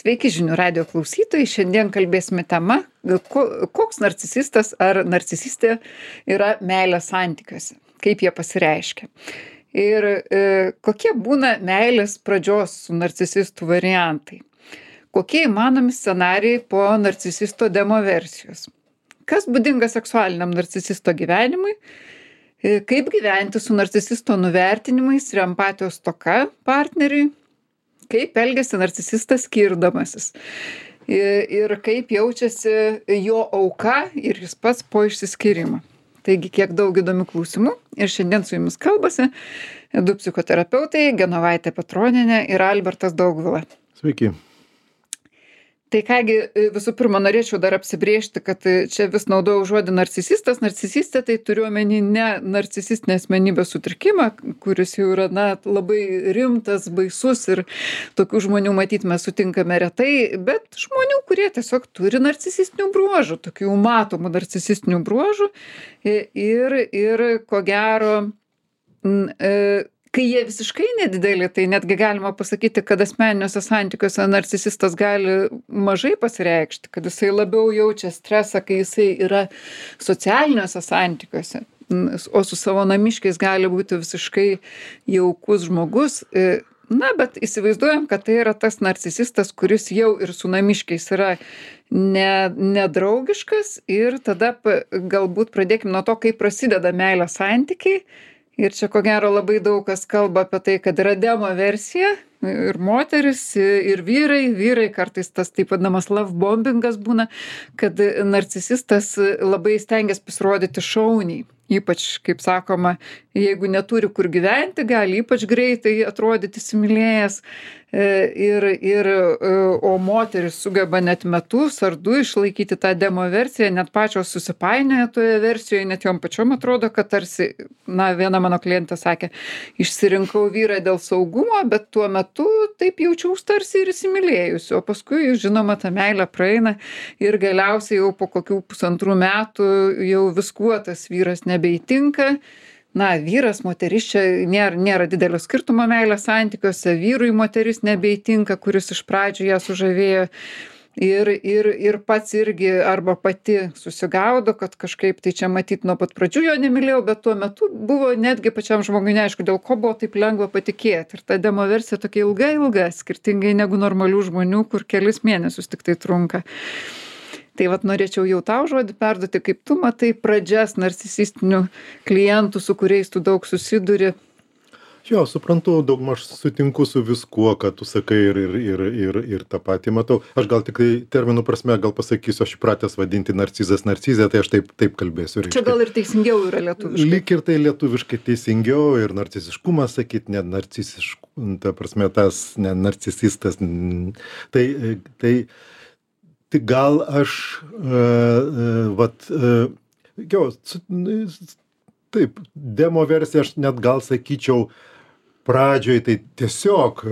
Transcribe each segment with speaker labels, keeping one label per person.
Speaker 1: Sveiki žinių radijo klausytojai. Šiandien kalbėsime tema, koks narcisistas ar narcisistė yra meilės santykiuose, kaip jie pasireiškia. Ir kokie būna meilės pradžios su narcisistu variantai. Kokie įmanomi scenarijai po narcisisto demo versijos. Kas būdinga seksualiniam narcisisto gyvenimui. Kaip gyventi su narcisisto nuvertinimais ir empatijos stoka partneriui. Kaip elgiasi narcisistas skirdamasis ir kaip jaučiasi jo auka ir jis pats po išsiskyrimo. Taigi, kiek daug įdomių klausimų ir šiandien su jumis kalbasi du psichoterapeutai, Genovaitė Petronienė ir Albertas Daugvila.
Speaker 2: Sveiki.
Speaker 1: Tai kągi, visų pirma, norėčiau dar apsibrėžti, kad čia vis naudojau žodį narcisistas. Narcisistė tai turiu omeny ne narcisistinę asmenybės sutrikimą, kuris jau yra labai rimtas, baisus ir tokių žmonių matyt mes sutinkame retai, bet žmonių, kurie tiesiog turi narcisistinių bruožų, tokių matomų narcisistinių bruožų ir ko gero, kai jie visiškai nedideli, tai netgi galima pasakyti, kad asmeniniuose santykiuose narcisistas gali mažai pasireikšti, kad jisai labiau jaučia stresą, kai jisai yra socialiniuose santykiuose, o su savo namiškiais gali būti visiškai jaukus žmogus. Bet įsivaizduojam, kad tai yra tas narcisistas, kuris jau ir su namiškiais yra nedraugiškas ir tada galbūt pradėkim nuo to, kaip prasideda meilės santykiai. Ir čia ko gero labai daug kas kalba apie tai, kad yra demo versija ir moteris, ir vyrai kartais tas taip vadinamas love bombingas būna, kad narcisistas labai stengiasi pasirodyti šauniai. Ypač, kaip sakoma, jeigu neturi kur gyventi, gali ypač greitai atrodyti įsimylėjęs. O moteris sugeba net metus ar du išlaikyti tą demo versiją, net pačios susipainioja toje versijoje, net jom pačiom atrodo, kad tarsi, viena mano klientė sakė, išsirinkau vyrą dėl saugumo, bet tuo metu taip jaučiaus tarsi ir įsimylėjusi, o paskui, žinoma, ta meilė praeina ir galiausiai jau po kokių 1,5 metų jau viskuo tas vyras nebeįtinka. Vyras, moteris, čia nėra didelio skirtumo meilės santykiuose, vyrui moteris nebeįtinka, kuris iš pradžių ją sužavėjo ir pats irgi arba pati susigaudo, kad kažkaip tai čia matyt nuo pat pradžių jo nemylėjau, bet tuo metu buvo netgi pačiam žmogui neaišku, dėl ko buvo taip lengva patikėti. Ir ta demo versija tokia ilga, skirtingai negu normalių žmonių, kur kelis mėnesius tik tai trunka. Tai norėčiau jau tau žodį perduoti, kaip tu matai pradžias narcisistinių klientų, su kuriais tu daug susiduri.
Speaker 2: Jo, suprantu, daugmaž sutinku su viskuo, kad tu sakai ir tą patį matau. Aš gal tik terminų prasme gal pasakysiu, aš įpratęs vadinti narcizas narcizė, tai aš taip kalbėsiu.
Speaker 1: Čia gal ir teisingiau yra lietuviškai.
Speaker 2: Lyg ir tai lietuviškai teisingiau ir narciziškumas sakyti, net narcisiškumas, ta prasme tas ne narcisistas. Tai gal aš, taip, demo versija aš net gal sakyčiau pradžioj, tai tiesiog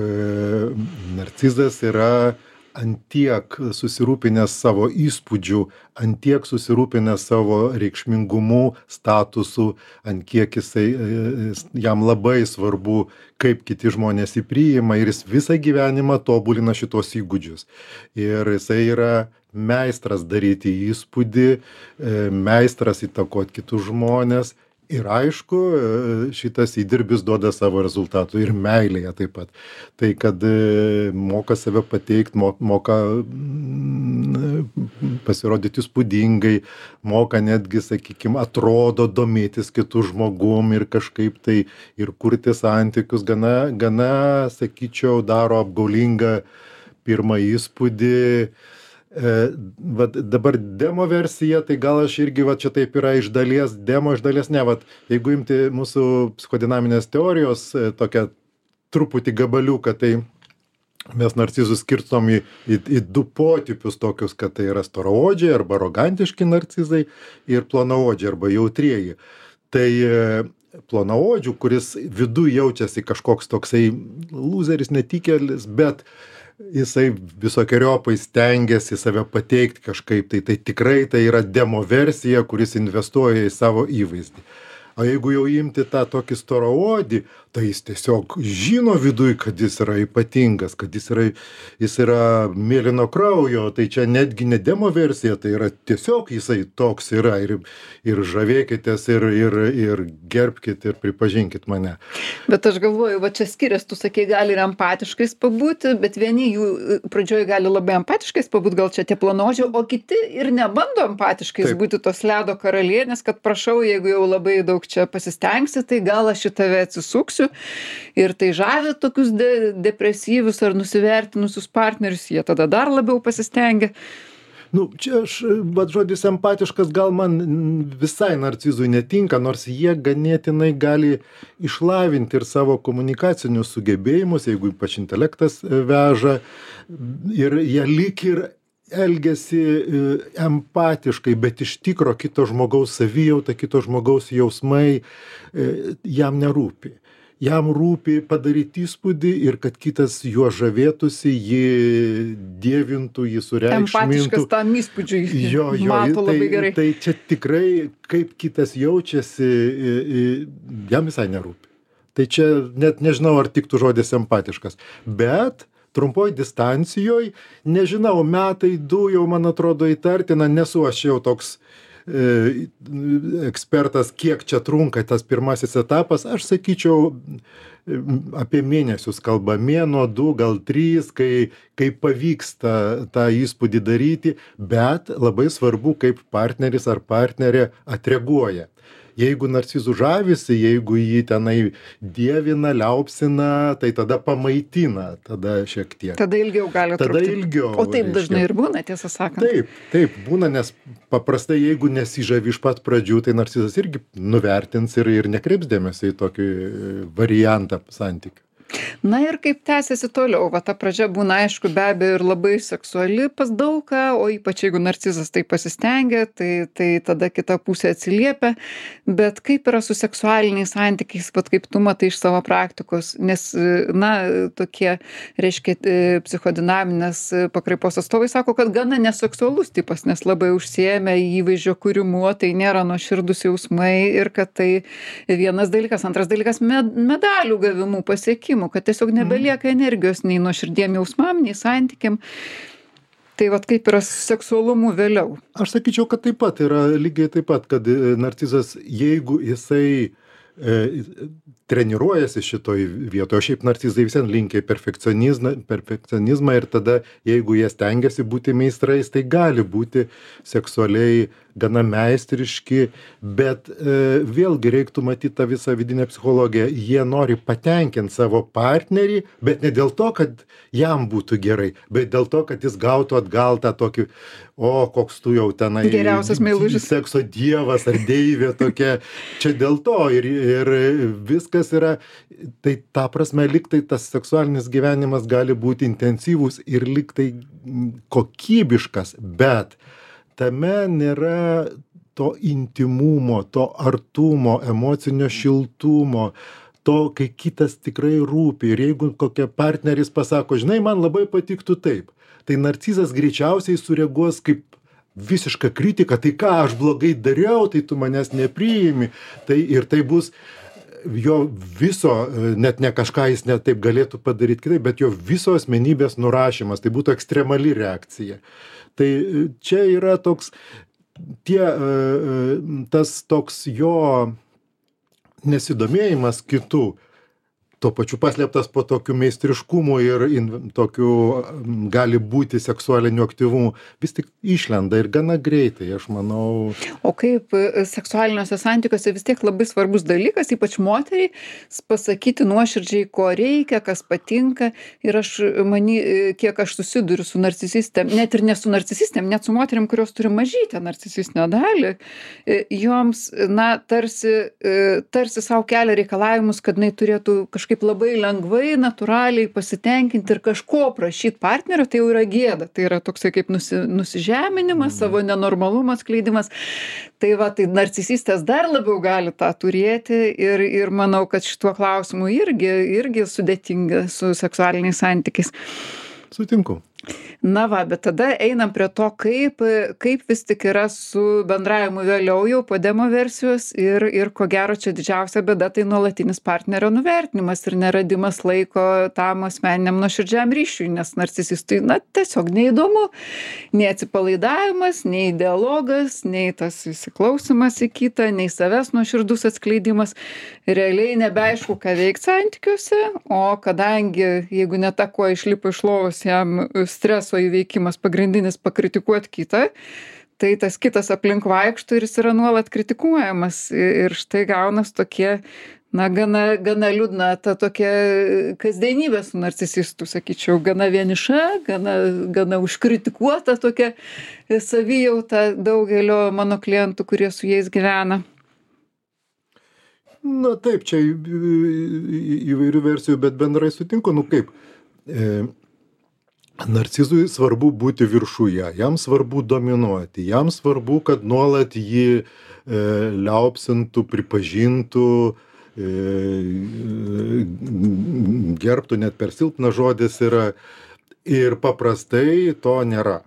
Speaker 2: narcizas yra antiek susirūpinęs savo įspūdžių, antiek susirūpinęs savo reikšmingumu, statusu, ant kiek jam labai svarbu, kaip kiti žmonės jį priima ir jis visą gyvenimą tobulina šitos įgūdžius. Ir jisai yra meistras daryti įspūdį, meistras įtakoti kitus žmonės. Ir aišku, šitas įdirbis duoda savo rezultatų ir meilėje taip pat. Tai kad moka save pateikti, moka pasirodyti įspūdingai, moka netgi, sakykime, atrodo domėtis kitų žmogum ir kažkaip tai ir kurti santykius, gana, sakyčiau, daro apgaulingą pirmą įspūdį. Dabar demo versija, tai gal aš irgi čia taip yra iš dalies demo, iš dalies ne. Jeigu imti mūsų psichodinaminės teorijos tokią truputį gabaliuką, tai mes narcizus skirstom į du potipius tokius, kad tai yra storaodžiai arba arogantiški narcizai ir plonaodžiai arba jautrieji. Tai plonaodžių, kuris viduj jaučiasi kažkoks toksai lūzeris, netikėlis, bet jisai visokeriopai stengiasi save pateikti kažkaip, tai tikrai tai yra demo versija, kuris investuoja į savo įvaizdį. O jeigu jau imti tą tokį storaodį, tai jis tiesiog žino viduj, kad jis yra ypatingas, kad jis yra mėlyno kraujo, tai čia netgi ne demo versija, tai yra tiesiog jisai toks yra ir žavėkitės ir gerbkit ir pripažinkit mane.
Speaker 1: Bet aš galvoju, va čia skiriasi, tu sakei, gali ir empatiškais pabūti, bet vieni jų pradžioj gali labai empatiškais pabūti, gal čia tie planožiai, o kiti ir nebando empatiškais būti tos ledo karalienės, kad prašau, jeigu jau labai daug čia pasistengsi, tai gal aš į tave atsisuksiu. Ir tai žavi tokius depresyvius ar nusivertinusius partnerius, jie tada dar labiau pasistengia.
Speaker 2: Nu, čia bet žodis empatiškas gal man visai narcizui netinka, nors jie ganėtinai gali išlavinti ir savo komunikacinius sugebėjimus, jeigu ypač intelektas veža, ir jie lyg ir elgiasi empatiškai, bet iš tikro kito žmogaus savijauta, kito žmogaus jausmai jam nerūpi. Jam rūpi padaryti įspūdį ir kad kitas juo žavėtųsi, jį dievintų, jį sureikšmintų.
Speaker 1: Empatiškas tam įspūdžiui. Mato labai gerai.
Speaker 2: Tai čia tikrai, kaip kitas jaučiasi, jam visai nerūpi. Tai čia net nežinau, ar tiktų žodis empatiškas. Bet trumpoj distancijoj, nežinau, metai, 2 jau man atrodo įtartina, nesu aš jau toks ekspertas, kiek čia trunka tas pirmasis etapas, aš sakyčiau, apie mėnesius kalba, mėnuo, 2, gal 3, kai pavyksta tą įspūdį daryti, bet labai svarbu, kaip partneris ar partnerė atreaguoja. Jeigu narcizų žavisi, jeigu jį tenai dievina, liaupsina, tai tada pamaitina, tada šiek tiek.
Speaker 1: Tada ilgiau gali trukti.
Speaker 2: Tada ilgiau.
Speaker 1: O taip dažnai ir būna, tiesą sakant.
Speaker 2: Taip, būna, nes paprastai, jeigu nesižavi iš pat pradžių, tai narcizas irgi nuvertins ir nekreips dėmesio į tokį variantą santykių.
Speaker 1: Na ir kaip tęsiasi toliau, va ta pradžia būna aišku be abejo ir labai seksuali pas daugą, o ypač jeigu narcizas tai pasistengia, tai tada kita pusė atsiliepia, bet kaip yra su seksualiniais santykiais, vat kaip tu matai iš savo praktikos, nes, na, tokie, reiškia, psichodinaminės pakraipos atstovai sako, kad gana neseksualus tipas, nes labai užsiėmė įvaizdžio kūrimu, tai nėra nuoširdūs jausmai ir kad tai vienas dalykas, antras dalykas medalių gavimų pasiekimų, kad tiesiog nebelieka energijos nei nuoširdiem jausmam, nei santykiam. Tai vat kaip yra su seksualumu vėliau?
Speaker 2: Aš sakyčiau, kad taip pat yra lygiai taip pat, kad narcizas, jeigu jisai treniruojasi šitoj vietoje, o šiaip narcizai visien linkia į perfekcionizmą ir tada, jeigu jie stengiasi būti meistrais, tai gali būti seksualiai gana meistriški, bet vėlgi reiktų matyti tą visą vidinę psichologiją. Jie nori patenkinti savo partnerį, bet ne dėl to, kad jam būtų gerai, bet dėl to, kad jis gautų atgal tą tokį, koks tu jau tenai
Speaker 1: geriausias meilužis,
Speaker 2: sekso dievas ar deivė tokia. Čia dėl to ir viskas yra, tai ta prasme, lyg tai tas seksualinis gyvenimas gali būti intensyvus ir lyg tai kokybiškas, bet tame nėra to intymumo, to artumo, emocinio šiltumo, to, kai kitas tikrai rūpi. Ir jeigu kokia partneris pasako, žinai, man labai patiktų taip, tai narcizas greičiausiai sureaguos kaip visiška kritika, tai ką aš blogai dariau, tai tu manęs nepriimi. Ir tai bus jo viso, net ne kažką jis net taip galėtų padaryti kitaip, bet jo viso asmenybės nurašymas, tai būtų ekstremali reakcija. Tai čia yra toks, tas toks jo nesidomėjimas kitų, tuo pačiu paslėptas po tokiu meistriškumu ir tokiu gali būti seksualiniu aktyvumu, vis tik išlenda ir gana greitai, aš manau.
Speaker 1: O kaip seksualiniuose santykiuose vis tiek labai svarbus dalykas, ypač moteriai, pasakyti nuoširdžiai, ko reikia, kas patinka. Ir kiek aš susiduriu su narcisistėm, net ir ne su narcisistėm, net su moteriam, kurios turi mažytę narcisistinę dalį, joms, na, tarsi savo kelia reikalavimus, kad jinai turėtų kažkaip labai lengvai, natūraliai pasitenkinti ir kažko prašyti partnerio, tai jau yra gėda. Tai yra toksai kaip nusižeminimas, savo nenormalumo atskleidimas. Tai va, tai narcisistės dar labiau gali tą turėti ir manau, kad šituo klausimu irgi sudėtinga su seksualiniais santykiais.
Speaker 2: Sutinku.
Speaker 1: Na va, bet tada einam prie to, kaip vis tik yra su bendravimu vėliau jau po demo versijos ir ko gero čia didžiausia bėda tai nuolatinis partnerio nuvertinimas ir neradimas laiko tam asmeniniam nuoširdžiam ryšiui, nes narcisistui, na, tiesiog neįdomu, nei atsipalaidavimas, nei dialogas, nei tas įsiklausimas į kitą, nei savęs nuoširdus atskleidimas. Realiai nebeaišku, ką veikti santykiuose, o kadangi, jeigu ne ta, kuo išlipo iš lovos, jam streso įveikimas pagrindinis pakritikuot kitą, tai tas kitas aplink vaikšto ir jis yra nuolat kritikuojamas. Ir štai gaunas tokie, na, gana liūdna ta tokia kasdienybė su narcisistu, sakyčiau, gana vieniša, gana užkritikuota tokia savijauta daugelio mano klientų, kurie su jais gyvena.
Speaker 2: Na taip, čia įvairių versijų, bet bendrai sutinku, nu kaip, narcizui svarbu būti viršuje, jam svarbu dominuoti, jam svarbu, kad nuolat jį liaupsintų, pripažintų, gerbtų, net per silpnas žodis yra. Ir paprastai to nėra.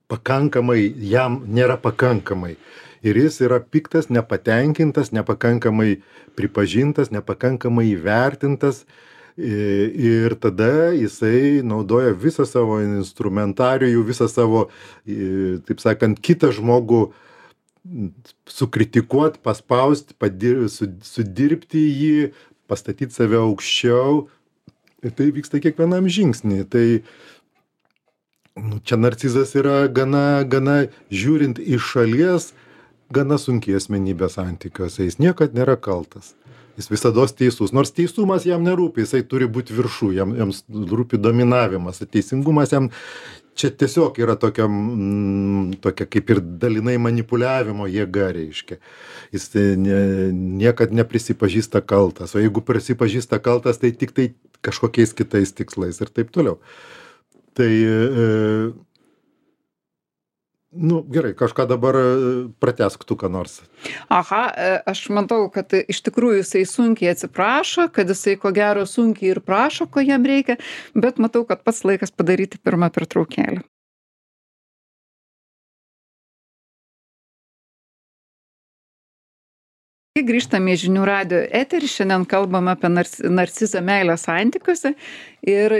Speaker 2: Pakankamai, jam nėra pakankamai. Ir jis yra piktas, nepatenkintas, nepakankamai pripažintas, nepakankamai įvertintas. Ir tada jisai naudoja visą savo instrumentarijų, visą savo, taip sakant, kitą žmogų sukritikuot, paspaust, sudirbti jį, pastatyti save aukščiau. Ir tai vyksta kiekvienam žingsnį. Tai čia narcizas yra gana žiūrint iš šalies, gana sunkiai asmenybė santykiuose. Jis niekad nėra kaltas. Jis visados teisus. Nors teisumas jam nerūpi, jisai turi būti viršų, jam rūpi dominavimas. Teisingumas jam čia tiesiog yra tokia kaip ir dalinai manipuliavimo jėga, reiškia. Jis niekad neprisipažįsta kaltas. O jeigu prisipažįsta kaltas, tai tik tai kažkokiais kitais tikslais ir taip toliau. Tai, nu, gerai, kažką dabar pratęsk tu ką nors.
Speaker 1: Aha, aš matau, kad iš tikrųjų jisai sunkiai atsiprašo, kad jisai ko gero sunkiai ir prašo, ko jam reikia, bet matau, kad pats laikas padaryti pirmą pertraukėlę. Grįžtame į žinių radijo eterį, šiandien kalbam apie narcizą meilės santykiuose ir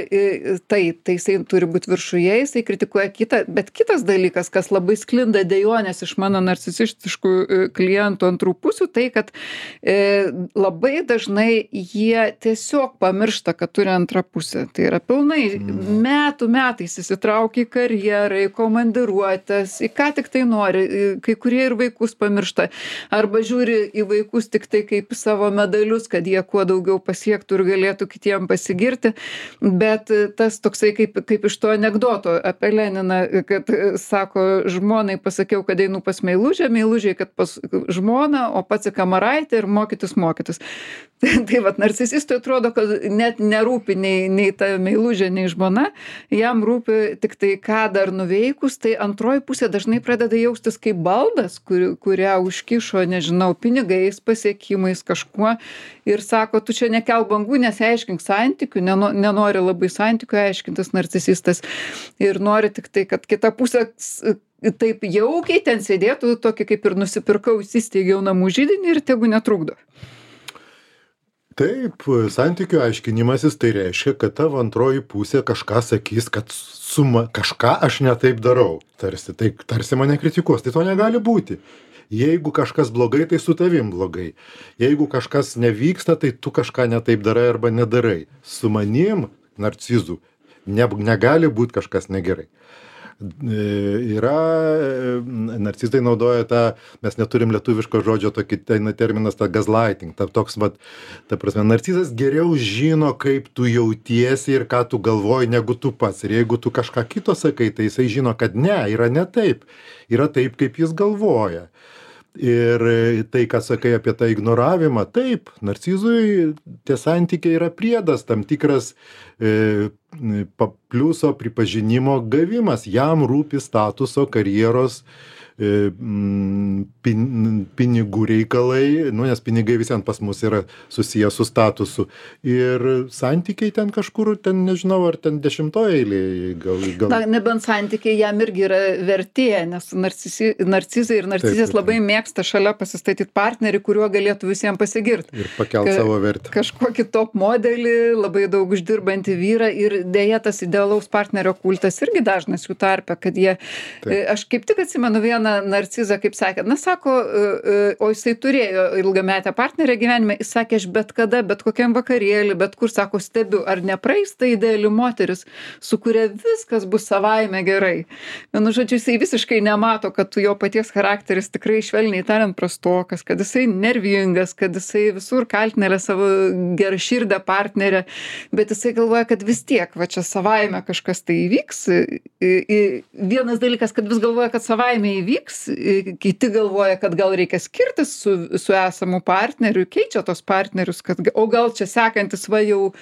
Speaker 1: taip, tai jisai turi būti viršuje, jisai kritikuoja kitą, bet kitas dalykas, kas labai sklinda dejonės iš mano narcisistiškų klientų antrų pusių, tai kad labai dažnai jie tiesiog pamiršta, kad turi antrą pusę. Tai yra pilnai metais įsitraukia į karjerą, į komandiruotes, į ką tik tai nori, kai kurie ir vaikus pamiršta, arba žiūri į vaikus tik tai kaip savo medalius, kad jie kuo daugiau pasiektų ir galėtų kitiem pasigirti, bet tas toksai kaip iš to anekdoto apie Leniną, kad sako, žmonai pasakiau, kad einu pas meilužę, meilužiai, kad pas žmoną, o pats į kamaraitę ir mokytis. Tai vat, narcisistui atrodo, kad net nerūpi nei ta meilužė, nei žmona, jam rūpi tik tai, ką dar nuveikus, tai antroji pusė dažnai pradeda jaustis kaip baldas, kurią užkišo, nežinau, pinigais, pasiekimais, kažkuo ir sako, tu čia nekelk bangų, nesiaiškink santykių, nenori labai santykių aiškintis narcisistas ir nori tik tai, kad kita pusė taip jaukiai ten sėdėtų, tokį kaip ir nusipirkau, įsisteigiau namų židinį ir tegu netrukdo.
Speaker 2: Taip, santykių aiškinimasis tai reiškia, kad tavo antroji pusė kažką sakys, kad kažką aš ne taip darau. Tarsi mane kritikuos, tai to negali būti. Jeigu kažkas blogai, tai su tavim blogai. Jeigu kažkas nevyksta, tai tu kažką ne taip darai arba nedarai. Su manim, narcizu, negali būti kažkas negerai. Narcizai naudoja tą, mes neturim lietuviško žodžio, tokį terminas, tą gaslighting, toks, ta prasme, narcizas geriau žino, kaip tu jautiesi ir ką tu galvoji, negu tu pats. Ir jeigu tu kažką kito sakai, tai jisai žino, kad ne, yra ne taip, yra taip, kaip jis galvoja. Ir tai, ką sakai apie tą ignoravimą, taip, narcizui tie santykiai yra priedas, tam tikras pliuso pripažinimo gavimas. Jam rūpi statuso, karjeros pinigų reikalai, nu, nes pinigai visiems pas mus yra susiję su statusu. Ir santykiai ten kažkur, ten nežinau, ar ten 10-oje eilėje, gal.
Speaker 1: Na, nebent santykiai jam irgi yra vertė, nes narcizai ir narcizės
Speaker 2: Taip.
Speaker 1: labai mėgsta šalia pasistatyti partnerį, kuriuo galėtų visiems pasigirti.
Speaker 2: Ir pakelt savo vertę.
Speaker 1: Kažkokį top modelį, labai daug uždirbantį vyrą ir dėja tas idealaus partnerio kultas irgi dažnas jų tarpe, kad jie, aš kaip tik atsimenu vieną narcizą, kaip sakė, na sako, o jisai turėjo ilgametę partnerę gyvenime, jis sakė, aš bet kada, bet kokiam vakarėlį, bet kur, sako, stebiu, ar nepraeis ta ideali moteris, su kuria viskas bus savaime gerai. Vienu žodžiu, jisai visiškai nemato, kad jo paties charakteris tikrai švelniai tariant prastokas, kad jisai nervingas, kad jisai visur kaltinėlė savo geraširdę partnerę, bet jisai galvoja, kad vis tiek, va čia savaime kažkas tai įvyks. Vienas dalykas, kad vis galvoja, kad savaime įvyks, kiti galvoja, kad gal reikia skirtis su esamu partneriu, keičia tos partnerius, o gal čia sekantis va jau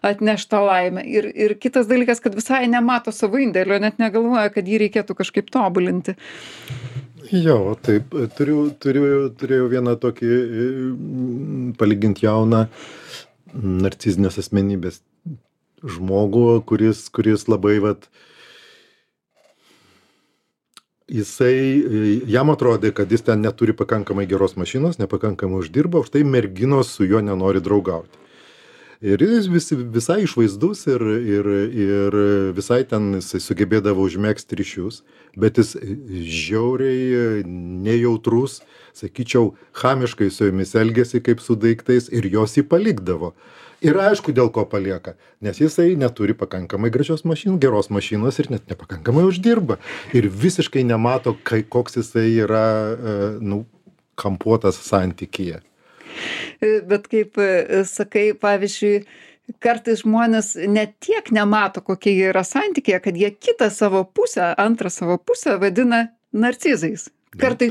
Speaker 1: atneš tą laimę. Ir kitas dalykas, kad visai nemato savo indėlio, net negalvoja, kad jį reikėtų kažkaip tobulinti.
Speaker 2: Jo, taip, turėjau vieną tokį palyginti jauną narcizinės asmenybės žmogų, kuris labai jam atrodė, kad jis ten neturi pakankamai geros mašinos, nepakankamai uždirba, už tai merginos su juo nenori draugauti. Ir jis visai išvaizdus ir visai ten jisai sugebėdavo užmegzti ryšius, bet jis žiauriai nejautrus, sakyčiau, chamiškai su jomis elgėsi kaip su daiktais ir jos jį palikdavo. Ir aišku, dėl ko palieka, nes jisai neturi pakankamai geros mašinos ir net nepakankamai uždirba. Ir visiškai nemato, koks jisai yra, kampuotas santykyje.
Speaker 1: Bet kaip sakai, pavyzdžiui, kartais žmonės net tiek nemato, kokie jie yra santykyje, kad jie kitą savo pusę, antrą savo pusę vadina narcizais. Kartai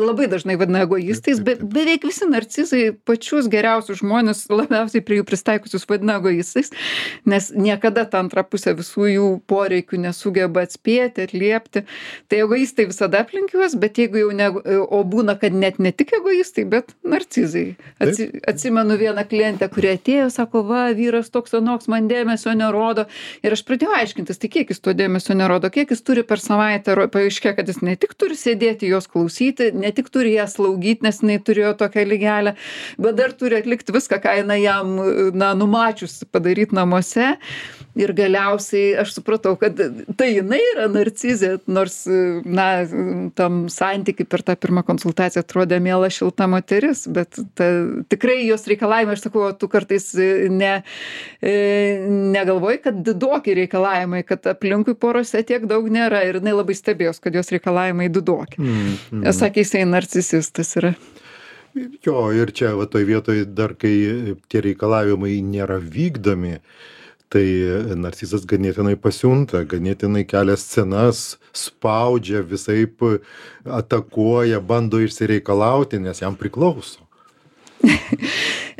Speaker 1: labai dažnai vadina egoistais, bet beveik visi narcizai pačius geriausius žmonės, labiausiai prie jų pristaikusius vadina egoistais, nes niekada ta antra pusė visų jų poreikių nesugeba atspėti, atliepti. Tai egoistai visada aplink juos, bet jeigu jau o būna, kad net ne tik egoistai, bet narcizai. Atsimenu vieną klientę, kuri atėjo, sako, va, vyras toks anoks man dėmesio nerodo. Ir aš pradėjau aiškintis, tai kiek jis to dėmesio nerodo, kiek jis turi per savaitę, paaiškėjo, kad jis ne tik turi sėdėti jos klausyti, ne tik turi ją slaugyti, nes jinai turėjo tokią lygelę, bet dar turi atlikti viską, ką jinai jam numačius padaryti namuose. Ir galiausiai aš supratau, kad tai jinai yra narcizė, nors tam santykiai per tą pirmą konsultaciją atrodė miela šilta moteris, bet tikrai jos reikalavimai, aš sakau, tu kartais negalvoji, kad didoki reikalavimai, kad aplinkui porose tiek daug nėra ir jinai labai stebėjos, kad jos reikalavimai didoki. Sakė, jisai narcisistas yra.
Speaker 2: Jo, ir čia toj vietoj dar, kai tie reikalavimai nėra vykdomi, tai narcizas ganėtinai pasiunta, ganėtinai kelia scenas, spaudžia, visaip atakuoja, bando išsireikalauti, nes jam priklauso.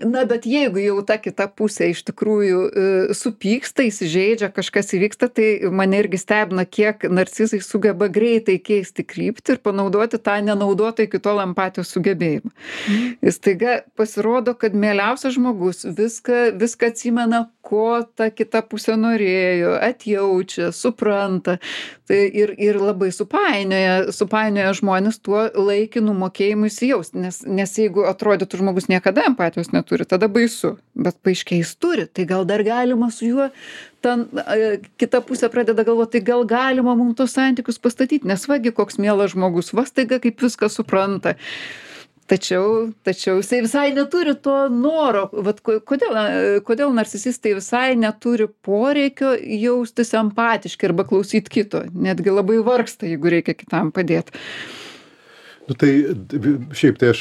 Speaker 1: Na, bet jeigu jau ta kita pusė iš tikrųjų supyksta, įsižeidžia, kažkas įvyksta, tai mane irgi stebina, kiek narcizai sugeba greitai keisti kryptį ir panaudoti tą nenaudotą iki tol empatijos sugebėjimą. Ir staiga pasirodo, kad mieliausias žmogus viską atsimena, ko ta kita pusė norėjo, atjaučia, supranta. Tai ir labai supainioja žmonės tuo laikinu mokėjimu įsijausti, nes jeigu atrodytų žmogus niekada empatijos neturi, tada baisu, bet paaiškiai jis turi, tai gal dar galima su juo, kita pusė pradeda galvoti, tai gal galima mums tos santykius pastatyti, nes vagi koks mielas žmogus, va staiga kaip viską supranta. Tačiau jisai visai neturi to noro, kodėl narcisistai visai neturi poreikio jaustis empatiškai arba klausyti kito, netgi labai vargsta, jeigu reikia kitam padėti.
Speaker 2: Tai šiaip tai aš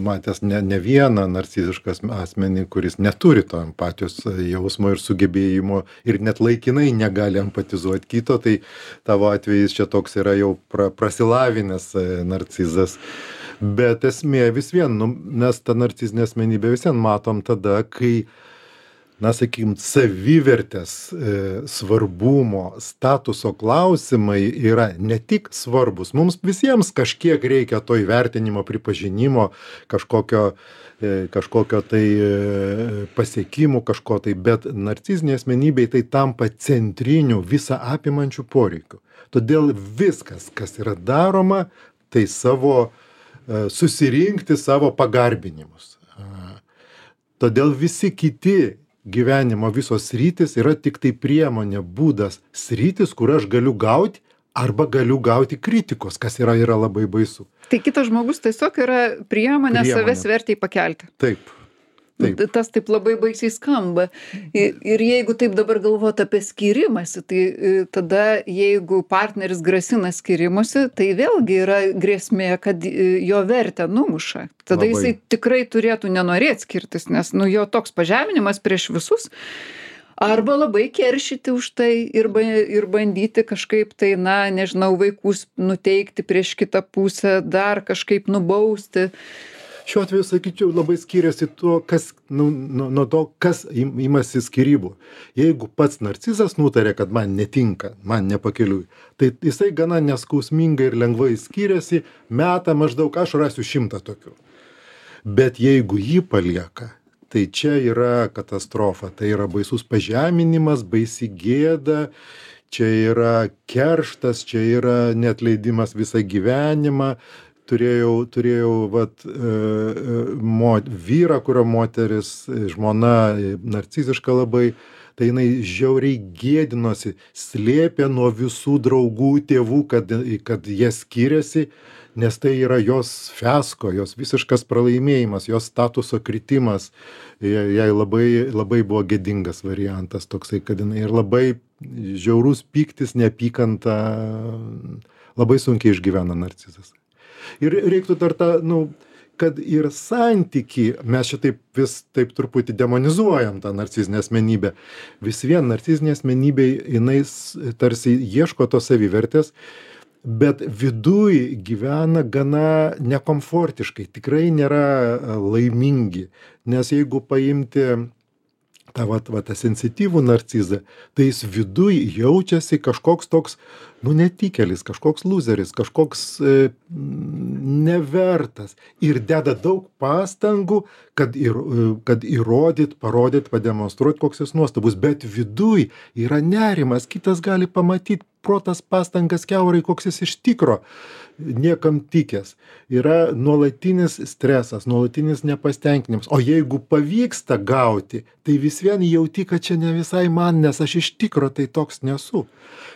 Speaker 2: matęs ne vieną narcizišką asmenį, kuris neturi to empatijos jausmo ir sugebėjimo ir net laikinai negali empatizuoti kito, tai tavo atvejis čia toks yra jau prasilavinęs narcizas. Bet esmė vis vien, mes tą narcizinę asmenybę vis vien matom tada, kai na, sakykim, savivertės, svarbumo, statuso klausimai yra ne tik svarbus. Mums visiems kažkiek reikia to įvertinimo, pripažinimo, kažkokio tai pasiekimų, kažko tai, bet narciziniai asmenybei tai tampa centriniu visą apimančių poreikiu. Todėl viskas, kas yra daroma, tai susirinkti savo pagarbinimus. Todėl visi kiti gyvenimo visos sritis yra tik tai priemonė, būdas, sritis, kur aš galiu gauti arba galiu gauti kritikos, kas yra labai baisu.
Speaker 1: Tai kitas žmogus tiesiog yra priemonė savęs vertei pakelti.
Speaker 2: Taip. Taip.
Speaker 1: Tas taip labai baisiai skamba. Ir jeigu taip dabar galvot apie skyrimąsi, tai tada jeigu partneris grasina skyrimusi, tai vėlgi yra grėsmė, kad jo vertę numuša. Tada jisai tikrai turėtų nenorėti skirtis, nes jo toks pažeminimas prieš visus. Arba labai keršyti už tai ir bandyti kažkaip tai, nežinau, vaikus nuteikti prieš kitą pusę, dar kažkaip nubausti.
Speaker 2: Šiuo atveju, sakyčiau, labai skiriasi nuo to, kas imasi skyrybų. Jeigu pats narcizas nutarė, kad man netinka, man nepakeliui, tai jisai gana neskausmingai ir lengvai skiriasi, meta maždaug, aš rasiu 100 tokių. Bet jeigu jį palieka, tai čia yra katastrofa, tai yra baisus pažeminimas, baisi gėda, čia yra kerštas, čia yra neatleidimas visą gyvenimą. Turėjau vyrą, kurio moteris, žmona narciziška labai, tai jinai žiauriai gėdinosi, slėpė nuo visų draugų, tėvų, kad jie skiriasi, nes tai yra jos fiasko, jos visiškas pralaimėjimas, jos statuso kritimas. Jai labai buvo gėdingas variantas toksai, kad jinai ir labai žiaurus pyktis, neapykanta, labai sunkiai išgyvena narcizas. Ir reiktų dar kad ir santyki, mes šitaip vis taip truputį demonizuojam tą narcizinę asmenybę. Vis vien narcizinė asmenybė, jinai tarsi ieško tos savivertės, bet viduj gyvena gana nekomfortiškai, tikrai nėra laimingi. Nes jeigu paimti tą sensityvų narcizą, tai jis viduj jaučiasi kažkoks toks, netikėlis, kažkoks loseris, kažkoks nevertas ir deda daug pastangų, kad parodyt, pademonstruoti, koks jis nuostabus, bet viduj yra nerimas, kitas gali pamatyti protas pastangas kiaurai, koks jis iš tikro niekam tikęs. Yra nuolatinis stresas, nuolatinis nepastenkinimas. O jeigu pavyksta gauti, tai vis vien jauti, kad čia ne visai man, nes aš iš tikro tai toks nesu.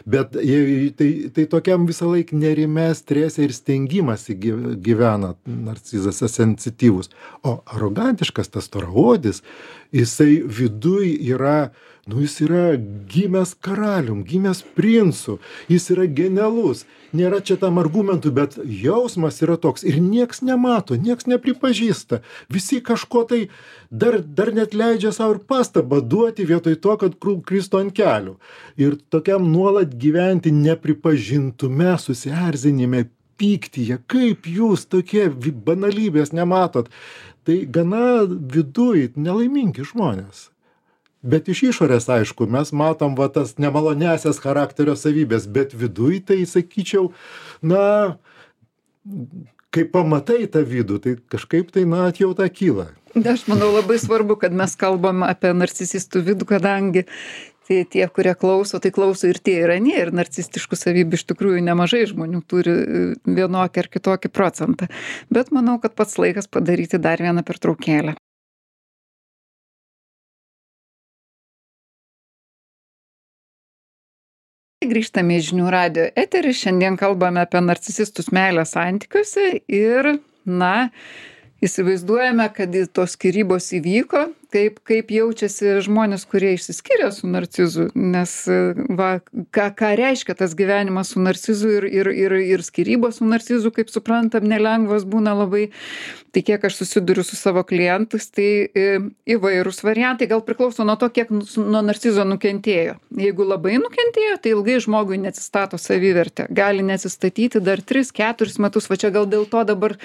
Speaker 2: Bet tai tokiam visą laiką nerime, strese ir stengimasi gyvena narcizas sensityvus. O arogantiškas tas storaodis, jisai viduj yra, jis yra gimęs karalium, gimęs princu, jis yra genialus. Nėra čia tam argumentų, bet jausmas yra toks ir nieks nemato, nieks nepripažįsta. Visi kažko tai dar net leidžia savo ir pastabą duoti vietoj to, kad kristų ant kelių. Ir tokiam nuolat gyventi nepripažintume, susierzinime, pyktyje, kaip jūs tokie banalybės nematot. Tai gana viduj nelaimingi žmonės. Bet iš išorės, aišku, mes matom tas nemalonesias charakterio savybės, bet viduj tai, sakyčiau, kai pamatai tą vidų, tai kažkaip tai, atjauta kyla.
Speaker 1: Aš manau, labai svarbu, kad mes kalbam apie narcisistų vidų, kadangi tie, kurie klauso, tai klauso ir tie ir anie, ir narcistiškų savybių iš tikrųjų nemažai žmonių turi vienokį ar kitokį procentą. Bet manau, kad pats laikas padaryti dar vieną pertraukėlę. Grįžtame į Žinių radijo eterį, šiandien kalbame apie narcisistus meilės santykiuose ir, įsivaizduojame, kad tos skyrybos įvyko, kaip jaučiasi žmonės, kurie išsiskiria su narcizu, nes ką reiškia tas gyvenimas su narcizu ir skyrybos su narcizu, kaip suprantam, nelengvas būna labai. Tai kiek aš susiduriu su savo klientais, tai įvairūs variantai, gal priklauso nuo to, kiek nuo narcizo nukentėjo. Jeigu labai nukentėjo, tai ilgai žmogui neatsistato savivertė. Gali neatsistatyti dar 3-4 metus, va čia gal dėl to dabar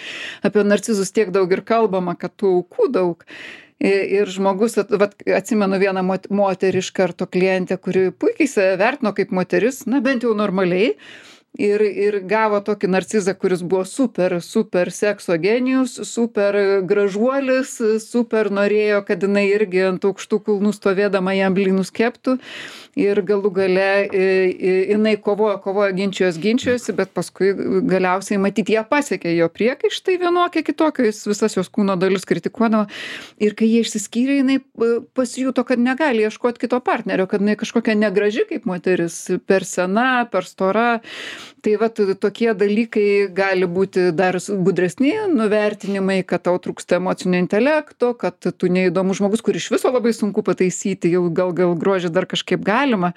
Speaker 1: apie narcizus tiek daug ir kalbama, kad tų aukų daug. Ir žmogus, vat, atsimenu vieną moterį iš karto klientę, kuri puikiai save vertino kaip moteris, na bent jau normaliai. Ir gavo tokį narcizą, kuris buvo super sekso genijus, super gražuolis, super norėjo, kad jinai irgi ant aukštų kulnų stovėdama jam blynus keptų. Ir galų gale jinai kovojo, ginčijosi, bet paskui galiausiai matyti ją pasiekė jo priekaištai vienokie kitokie, jis visas jos kūno dalis kritikuodavo. Ir kai jie išsiskyrė, jinai pasijuto, kad negali ieškoti kito partnerio, kad jinai kažkokia negraži kaip moteris, per sena, per stora. Tai vat tokie dalykai gali būti dar gudresni nuvertinimai, kad tau trūksta emocinio intelekto, kad tu neįdomus žmogus, kur iš viso labai sunku pataisyti, jau gal grožį dar kažkaip galima.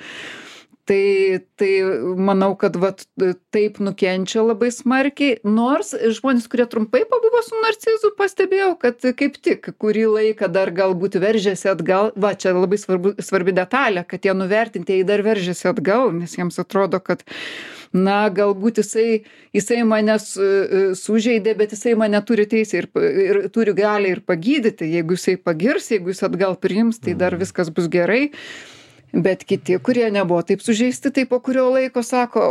Speaker 1: Tai manau, kad vat taip nukenčia labai smarkiai, nors žmonės, kurie trumpai pabuvo su narcizu, pastebėjau, kad kaip tik kurį laiką dar galbūt veržėsi atgal, va čia labai svarbi detalė, kad tie nuvertintieji dar veržėsi atgal, nes jiems atrodo, kad na, galbūt jisai mane sužeidė, bet jisai mane turi teisę ir turi galią ir pagydyti. Jeigu jisai pagirs, jeigu jis atgal priims, tai dar viskas bus gerai. Bet kiti, kurie nebuvo taip sužeisti, tai po kurio laiko sako,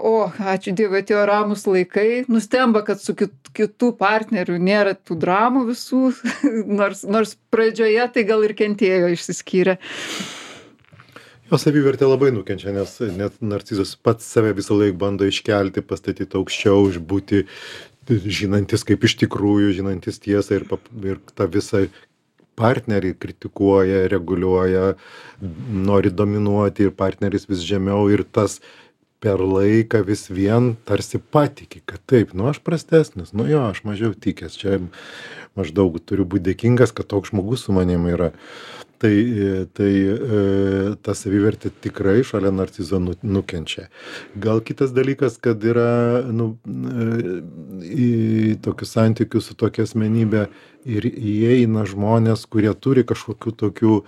Speaker 1: ačiū Dievui, atėjo ramus laikai, nustemba, kad su kitų partnerių nėra tų dramų visų, nors pradžioje tai gal ir kentėjo išsiskyrę.
Speaker 2: Jo savivertė labai nukenčia, nes net narcizas pats save visą laiką bando iškelti, pastatyti aukščiau, būti žinantis kaip iš tikrųjų, žinantis tiesą ir tą visą partnerį kritikuoja, reguliuoja, nori dominuoti ir partneris vis žemiau ir tas per laiką vis vien tarsi patiki, kad taip, aš prastesnis, aš mažiau tikęs, čia maždaug turiu būti dėkingas, kad toks žmogus su manim yra. Tai ta savivertė tikrai šalia narcizo nukenčia. Gal kitas dalykas, kad yra į tokius santykius su tokia asmenybė ir įeina žmonės, kurie turi kažkokių tokių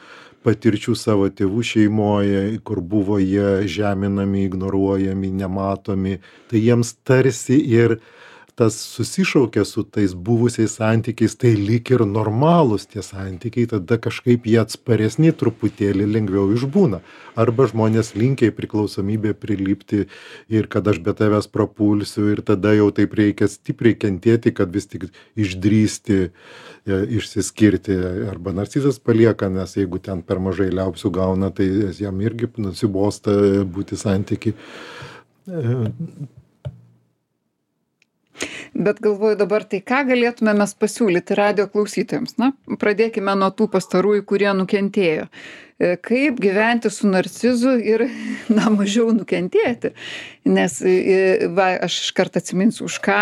Speaker 2: patirčių savo tėvų šeimoje, kur buvo jie žeminami, ignoruojami, nematomi, tai jiems tarsi ir tas susišaukia su tais buvusiais santykiais, tai lyg ir normalūs tie santykiai, tada kažkaip jie atsparesni truputėlį lengviau išbūna. Arba žmonės linkia į priklausomybę prilipti ir kad aš be tavęs prapulsiu ir tada jau taip reikia stipriai kentėti, kad vis tik išdrįsti, išsiskirti. Arba narcizas palieka, nes jeigu ten per mažai liaupsių gauna, tai jam irgi nusibosta būti santykiai.
Speaker 1: Bet galvoju dabar, tai ką galėtume mes pasiūlyti radijo klausytojams? Na, pradėkime nuo tų pastarųjų, kurie nukentėjo. Kaip gyventi su narcizu ir, mažiau nukentėti. Nes, aš iškart atsiminsiu, už ką,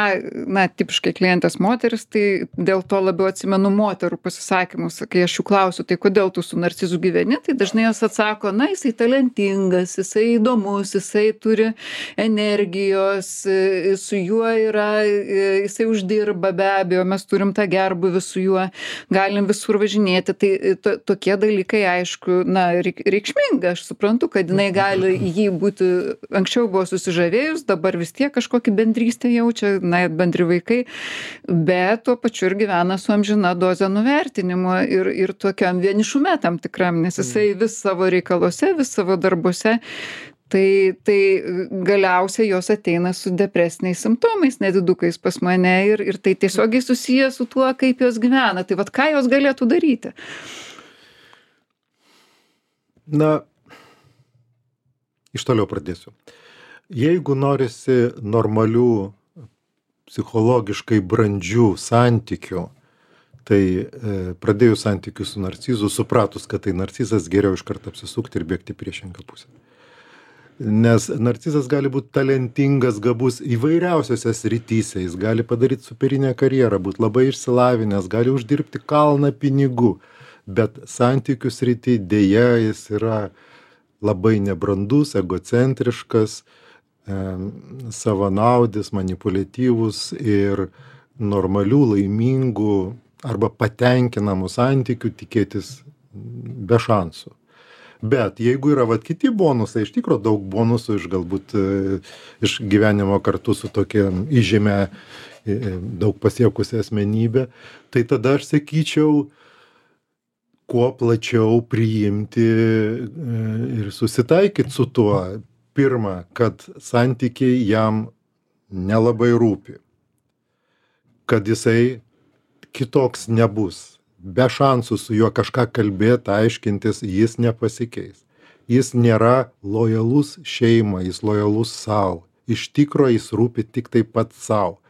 Speaker 1: tipiškai klientės moteris, tai dėl to labiau atsimenu moterų pasisakymus, kai aš jų klausiu, tai kodėl tu su narcizu gyveni, tai dažnai jos atsako, jisai talentingas, jisai įdomus, jisai turi energijos, su juo yra, jisai uždirba be abejo, mes turim tą gerbuvį su juo, galim visur važinėti, tai tokie dalykai, aišku, reikšminga, aš suprantu, kad jinai gali jį būti, anksčiau buvo susižavėjus, dabar vis tiek kažkokį bendrystę jaučia, bendri vaikai, bet tuo pačiu ir gyvena su amžina doze nuvertinimo ir tokiam vienišume tam tikram, nes jisai vis savo reikaluose, vis savo darbuose, tai galiausiai jos ateina su depresiniais simptomais, nedidukais pas mane ir tai tiesiogiai susiję su tuo, kaip jos gyvena. Tai vat ką jos galėtų daryti?
Speaker 2: Iš toliau pradėsiu. Jeigu norisi normalių, psichologiškai brandžių santykių, tai pradėjus santykius su narcizu, supratus, kad tai narcizas, geriau iš karto apsisukti ir bėgti priešingą pusę. Nes narcizas gali būti talentingas, gabus įvairiausiose srityse, jis gali padaryti superinę karjerą, būti labai išsilavinęs, gali uždirbti kalną pinigų. Bet santykių srity dėja jis yra labai nebrandus, egocentriškas, savanaudis, manipuliatyvus ir normalių, laimingų arba patenkinamų santykių tikėtis be šansų. Bet jeigu yra kiti bonusai, iš tikrųjų daug bonusų galbūt iš gyvenimo kartu su tokia įžymia, daug pasiekusia asmenybė, tai tada aš sakyčiau, kuo plačiau priimti ir susitaikyti su tuo. Pirma, kad santykiai jam nelabai rūpi, kad jisai kitoks nebus. Be šansų su juo kažką kalbėti, aiškintis, jis nepasikeis. Jis nėra lojalus šeimai, jis lojalus savo. Iš tikro jis rūpi tik taip pat savo.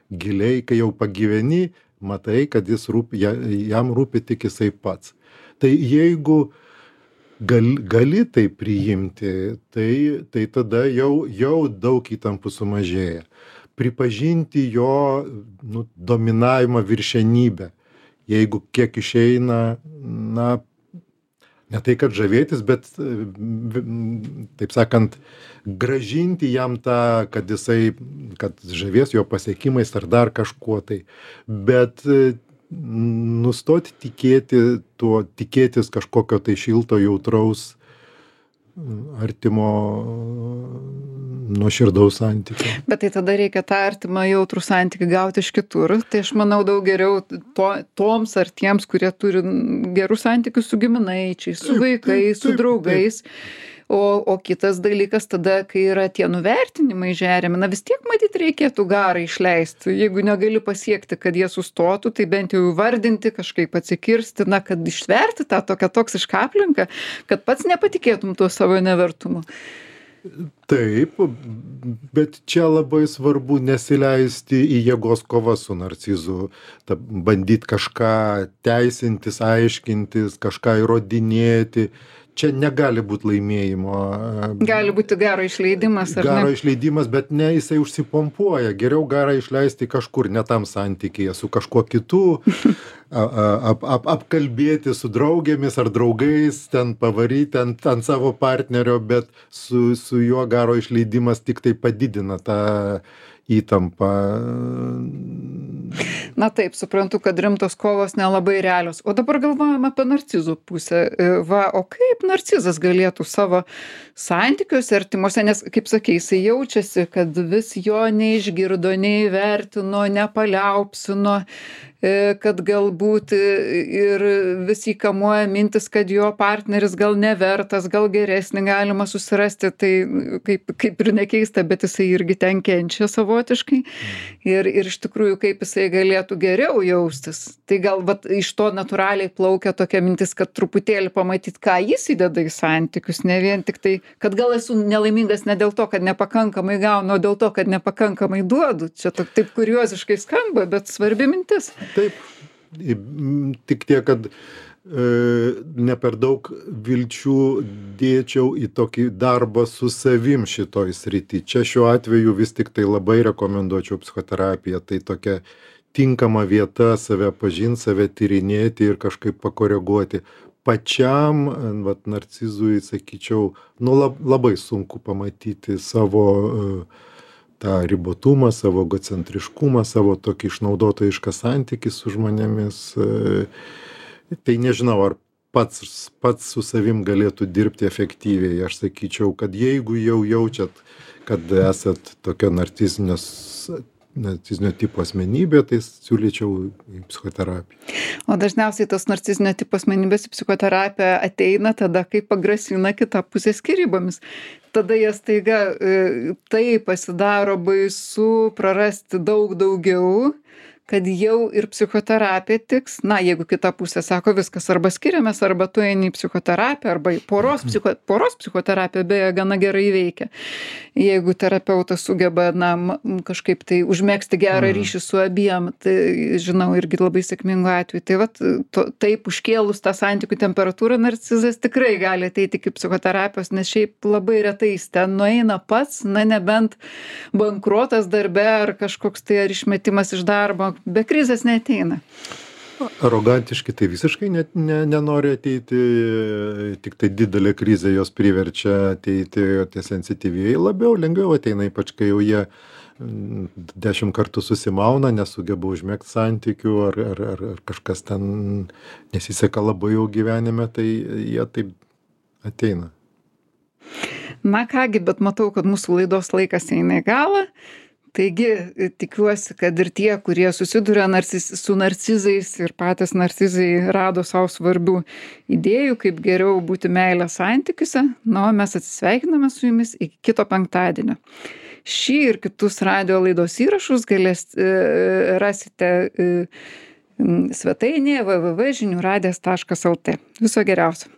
Speaker 2: Giliai, kai jau pagyveni, matai, kad jam rūpi tik jisai pats. Tai jeigu gali tai priimti, tai tada jau daug įtampų sumažėja. Pripažinti jo dominavimą, viršenybę. Jeigu kiek išeina, ne tai kad žavėtis, bet, taip sakant, grąžinti jam tą, kad žavės jo pasiekimais ar dar kažkuo tai. Bet nustoti tikėtis kažkokio tai šilto, jautraus, artimo, nuoširdaus santykio.
Speaker 1: Bet tai tada reikia tą artimą jautrų santykį gauti iš kitur. Tai aš manau daug geriau toms ar tiems, kurie turi gerus santykius su giminaičiais, su vaikais, su draugais. O kitas dalykas tada, kai yra tie nuvertinimai žeriami, vis tiek matyt reikėtų garą išleisti. Jeigu negali pasiekti, kad jie sustotų, tai bent jau įvardinti, kažkaip atsikirsti, kad ištverti tą tokią toksišką aplinką, kad pats nepatikėtum tuo savo nevertumu.
Speaker 2: Taip, bet čia labai svarbu nesileisti į jėgos kovą su narcizu, bandyti kažką teisintis, aiškintis, kažką įrodinėti. Čia negali būti laimėjimo.
Speaker 1: Gali būti garo išleidimas, ar ne?
Speaker 2: Garo išleidimas, bet ne, jisai užsipompuoja. Geriau garą išleisti kažkur, ne tam santykyje, su kažkuo kitu, apkalbėti su draugėmis ar draugais, ten pavaryti ant savo partnerio, bet su juo garo išleidimas tik tai padidina tą įtampą.
Speaker 1: Na taip, suprantu, kad rimtos kovos nelabai realios. O dabar galvojame apie narcizų pusę. O kaip narcizas galėtų savo santykiuose artimuose, nes, kaip sakei, jisai jaučiasi, kad vis jo neišgirdo, neįvertino, nepaliaupsino, kad galbūt ir vis įkamuoja mintis, kad jo partneris gal nevertas, gal geresnį galima susirasti, tai kaip ir nekeista, bet jisai irgi ten kenčia savotiškai. Ir iš tikrųjų, kaip jisai galėtų geriau jaustis. Tai gal iš to natūraliai plaukia tokia mintis, kad truputėlį pamatyti, ką jis įdeda į santykius, ne vien tik tai, kad gal esu nelaimingas ne dėl to, kad nepakankamai gaunu, o dėl to, kad nepakankamai duodu. Čia taip kurioziškai skamba, bet svarbi mintis.
Speaker 2: Taip, tik tiek, kad ne per daug vilčių dėčiau į tokį darbą su savim šitoj srity. Čia šiuo atveju vis tik tai labai rekomenduočiau psichoterapiją. Tai tokia tinkama vieta save pažinti, save tyrinėti ir kažkaip pakoreguoti. Pačiam, narcizui, sakyčiau, labai sunku pamatyti savo tą ribotumą, savo egocentriškumą, savo tokį išnaudotojišką santykį su žmonėmis. Tai nežinau, ar pats su savim galėtų dirbti efektyviai. Aš sakyčiau, kad jeigu jau jaučiat, kad esat tokio narcizinio tipo asmenybė, tai siūlyčiau į psichoterapiją.
Speaker 1: O dažniausiai tos narcizinio tipo asmenybės į psichoterapiją ateina tada, kai pagrasina kita pusė skyrybomis. Tada jie staiga tai pasidaro baisu prarasti daug daugiau, kad jau ir psichoterapija tiks. Jeigu kita pusė sako, viskas arba skiriamės, arba tu eini į psichoterapiją, arba į poros psichoterapija beje gana gerai veikia. Jeigu terapeutas sugeba kažkaip tai užmegzti gerą ryšį su abiem, tai žinau irgi labai sėkmingų atvejų. Tai taip užkėlus tą santykių temperatūrą, narcizas tikrai gali ateiti iki psichoterapijos, nes šiaip labai retai jis ten nueina pats, nebent bankrotas darbe ar kažkoks tai ar išmetimas iš darbo. Be krizės neateina.
Speaker 2: Arogantiški tai visiškai nenori ateiti, tik tai didelė krizė jos priverčia ateiti, o tie sensityvieji lengviau ateina, ypač kai jau jie 10 kartų susimauna, nesugeba užmegzti santykių ar kažkas ten nesiseka labai jau gyvenime, tai jie taip ateina.
Speaker 1: Kągi, bet matau, kad mūsų laidos laikas eina į galą. Taigi, tikiuosi, kad ir tie, kurie susiduria su narcizais ir patys narcizai rado savo svarbių idėjų, kaip geriau būti meilės santykiuose. Na, o mes atsisveikiname su jumis iki kito penktadienio. Šį ir kitus radio laidos įrašus rasite svetainėje www.žiniųradijas.lt. Viso geriausio.